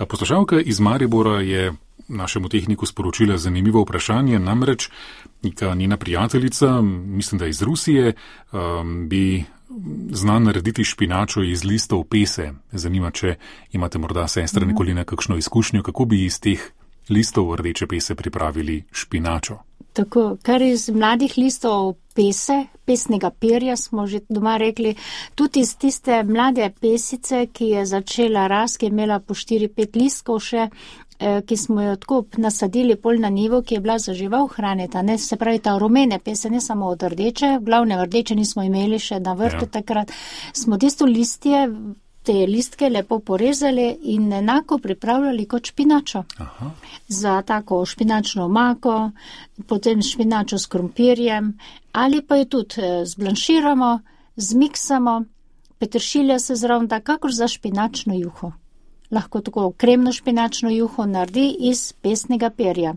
Poslušalka iz Maribora je našemu tehniku sporočila zanimivo vprašanje, namreč neka njena prijateljica, mislim, da iz Rusije, bi zna narediti špinačo iz listov pese. Zanima, če imate morda sestra nikoli nekakšno izkušnjo, kako bi iz teh listov rdeče pese pripravili špinačo. Tako, kar iz mladih listov pese, pesnega perja, smo že doma rekli, tudi iz tiste mlade pesice, ki je začela rast, ki je imela po 4-5 listkov še, ki smo jo tako nasadili pol na nivo, ki je bila za žival hranita, ne, se pravi ta rumene pese, ne samo od rdeče, glavne rdeče nismo imeli še na vrtu takrat, smo tisto listje, te listke lepo porezali in enako pripravljali kot špinačo. Aha. Za tako špinačno omako, potem špinačo s krompirjem, ali pa jo tudi zblanširamo, zmiksamo, peteršilja se zraven da, kakor za špinačno juho. Lahko tako kremno špinačno juho naredi iz pesnega perja.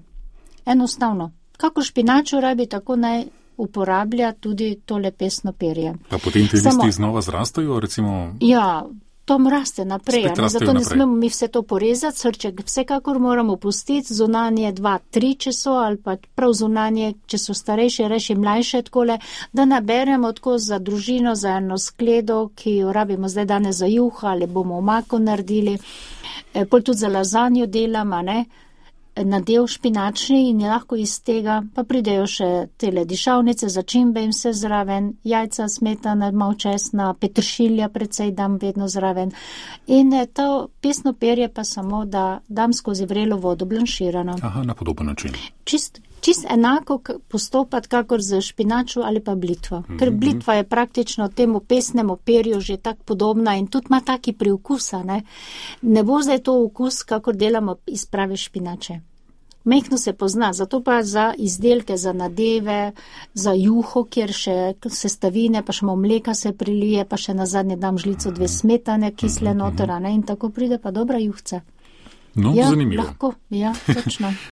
Enostavno. Kakor špinačo rabi, tako naj uporablja tudi tole pesno perje. Pa potem te listi znova zrastajo, recimo? Ja, to raste naprej, zato ne smemo mi vse to porezati, srček vsekakor moramo pustiti, zunanje 2-3, če so, ali pa prav zunanje, če so starejše, reši mlajše takole, da naberemo tako za družino, za eno skledo, ki jo rabimo zdaj danes za juha, ali bomo omako naredili, pol tudi za lazanjo delamo, ne, nadev špinačni in je lahko iz tega, pa pridejo še tele dišavnice, začimbe in vse zraven, jajca, smetana, malo česna, peteršilja precej dam vedno zraven. In to pesno perje pa samo, da dam skozi vrelo vodo blanširano. Aha, na podoben način. Čist enako postopati, kakor z špinačo ali pa blitvo. Ker blitva je praktično temu pesnemu perju že tak podobna in tudi ima taki priokusa, ne. Ne bo zdaj to okus, kakor delamo iz prave špinače. Mehko se pozna, zato pa za izdelke, za nadeve, za juho, kjer še sestavine, pa še malo mleka se prilije, pa še nazadnje dam žlico 2 smetane, kisle notera, ne, in tako pride pa dobra juhca. No, ja, zanimivo. Lahko, ja, točno.